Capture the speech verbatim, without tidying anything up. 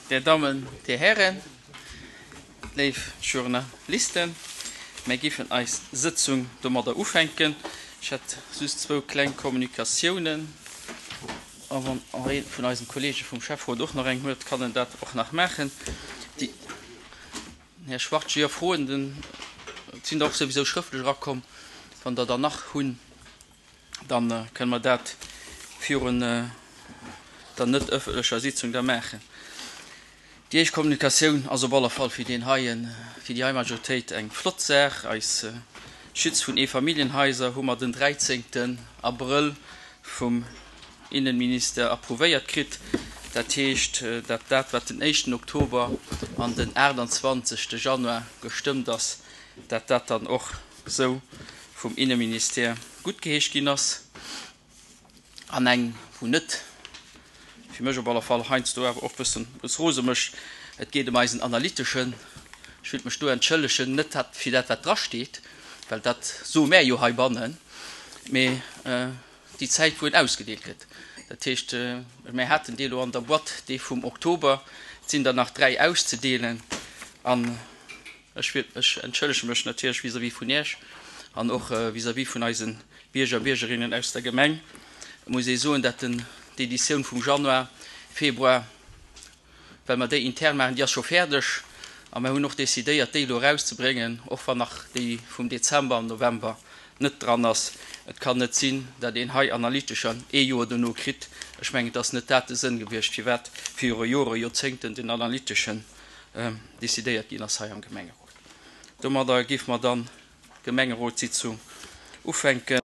Dir Dammen, Dir Hären, léif Journalisten, mir géifen eis Sëtzung domadder ufänken. Ech hätt just zwou kleng Kommunikatiounen. A wann ee vun eisen Kollege vum Schäfferot och nach eng huet, kann en dat och nach maachen. Déi, Här Schwarz, jo, Froen, den, et sinn der och souwisou schrëftlech erakomm. Wann Der der nach hunn, dann kënne mer dat virun der net ëffentlecher Sitzung da maachen. Déi éischt Kommunikatioun ass op alle Fall fir deen heien, fir déi hei Majoritéit eng flott Saach. Eis Schutz vun Eefamilljenhaiser hu mer den dräizéngten Abrëll vum Innenminister approuvéiert kritt. Dat heescht, dat dat, wat den éischten Oktober an den aachtanzwanzegste Januar gestëmmt ass, dat dat dann och esou vum Innenministère guttgeheescht ginn ass. An eng, wou net, fir mech op alle Fall, heiansdo awer och bëssen es rose mécht, et geet ëm eisen Analyteschen. Ech wëllt mech do entschëllegen, net dat fir dat, wat drasteet, well dat soe mär jo heibannen, mee déi Zäit, wou en ausgedeelt gëtt. Dat heescht, mär haten dee elo an der Boîte, dee vum Oktober, et sinn der nach dräi auszedeelen. An ech wëllt mech, entschëllege mech natierlech vis-à-vis vun Iech an och vis-à-vis vun eise Bierger a Biergerinnen aus der Gemeng. Et muss ee soen, dat den d'Editioun vum Januar, Februar, well mer déi intern maachen, déi ass scho fäerdeg a mer hunn och decidéiert, déi elo erauszebréngen, och wann nach déi vum Dezember an November net dran ass. Et kann net sinn, datt een hei Analytescher ee Joer dono kritt. Ech mengen, et ass net dat de Sënn gewiescht, firwat viru Jore, Joerzéngten den Analyteschen decidéiert ginn ass hei am Gemengerot. Domadder géife mer dann d'Gemengerotssitzung ufänken.